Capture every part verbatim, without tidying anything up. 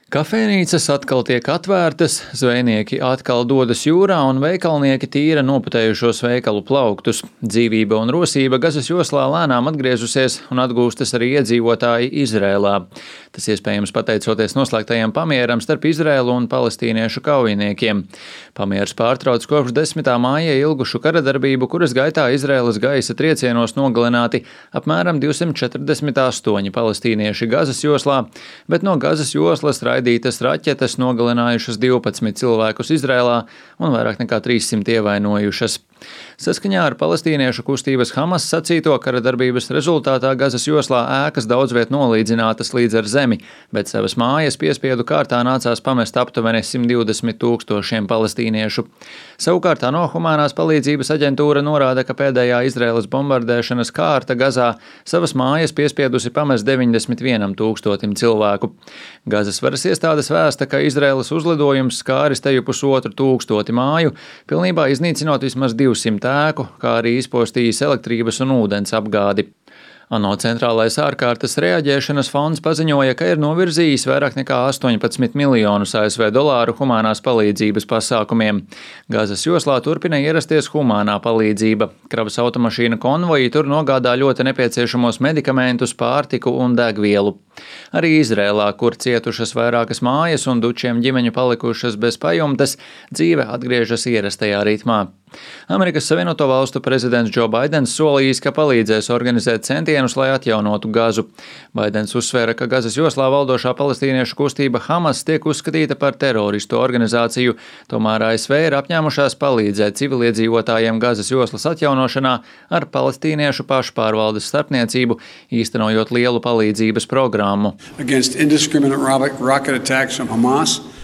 Kafejnīcas atkal tiek atvērtas, zvejnieki atkal dodas jūrā un veikalnieki tīra noputējušos veikalu plauktus. Dzīvība un rosība Gazas joslā lēnām atgriezusies un atgūstas arī iedzīvotāji Izrēlā. Tas iespējams pateicoties noslēgtajam pamieram starp Izrēlu un palestīniešu kaujiniekiem. Pamiers pārtrauc kopš desmitā māja ilgušu karadarbību, kuras gaitā Izrēlas gaisa triecienos nogalināti apmēram divsimt četrdesmit astoņi palestīnieši Gazas joslā, bet no Gazas joslas raidītas raķetes nogalinājušas divpadsmit cilvēkus Izrēlā un vairāk nekā trīssimt ievainojušas. Saskaņā ar palestīniešu kustības Hamas sacīto, karadarbības rezultātā Gazas joslā ēkas daudzviet nolīdzinātas līdz ar zemi, bet savas mājas piespiedu kārtā nācās pamest aptuveni simt divdesmit tūkstošiem palestīniešu. Savukārt ANO humanās palīdzības aģentūra norāda, ka pēdējā Izraēlas bombardēšanas kārta Gazā savas mājas piespiedusi pamest deviņdesmit vienam tūkstotim cilvēku. Gazas varas iestādes vēsta, ka Izraēlas uzlidojums skāris teju pusotru tūkstoti māju, pilnībā iznīcinot vismaz divsimt ēku, kā arī izpostījis elektrības un ūdens apgādi. ANO centrālais ārkārtas reaģēšanas fonds paziņoja, ka ir novirzījis vairāk nekā astoņpadsmit miljonus A S V dolāru humanās palīdzības pasākumiem. Gazas joslā turpina ierasties humānā palīdzība. Kravas automašīna konvoji tur nogādā ļoti nepieciešamos medikamentus, pārtiku un degvielu. Arī Izrēlā, kur cietušas vairākas mājas un dučiem ģimeņu palikušas bez pajumtes, dzīve atgriežas ierastajā ritmā. Amerikas Savienoto Valstu prezidents Džo Baidens solījis, ka palīdzēs organizēt centienus, lai atjaunotu Gazu. Baidens uzsvēra, ka Gazas joslā valdošā palestīniešu kustība Hamas tiek uzskatīta par teroristu organizāciju, tomēr A S V ir apņēmušās palīdzēt civiliedzīvotājiem Gazas joslas atjaunošanā ar palestīniešu pašpārvaldes starpniecību, īstenojot lielu palīdzības programmu.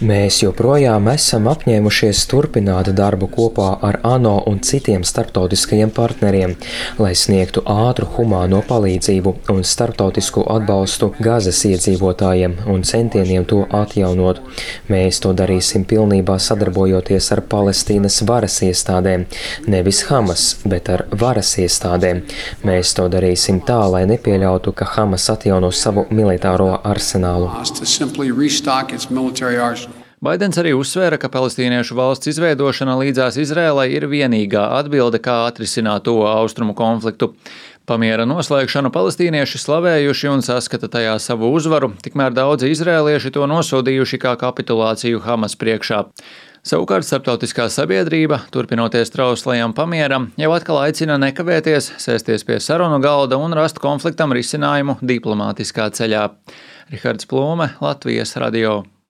Mēs joprojām esam apņēmušies turpināt darbu kopā ar ANO un citiem starptautiskajiem partneriem, lai sniegtu ātru humāno palīdzību un starptautisku atbalstu Gazas iedzīvotājiem un centieniem to atjaunot. Mēs to darīsim pilnībā sadarbojoties ar Palestīnas varas iestādēm, nevis Hamas, bet ar varas iestādēm. Mēs to darīsim tā, lai nepieļautu, ka Hamas atjauno savu militāro arsenālu. Baidens arī uzsvēra, ka palestīniešu valsts izveidošana līdzās Izrēlai ir vienīgā atbilde, kā atrisināt to austrumu konfliktu. Pamiera noslēgšanu palestīnieši slavējuši un saskata tajā savu uzvaru, tikmēr daudzi izrēlieši to nosodījuši kā kapitulāciju Hamas priekšā. Savukārt starptautiskā sabiedrība, turpinoties trauslajam pamieram, jau atkal aicina nekavēties, sēsties pie sarunu galda un rast konfliktam risinājumu diplomātiskā ceļā. Rihards Plūme, Latvijas radio.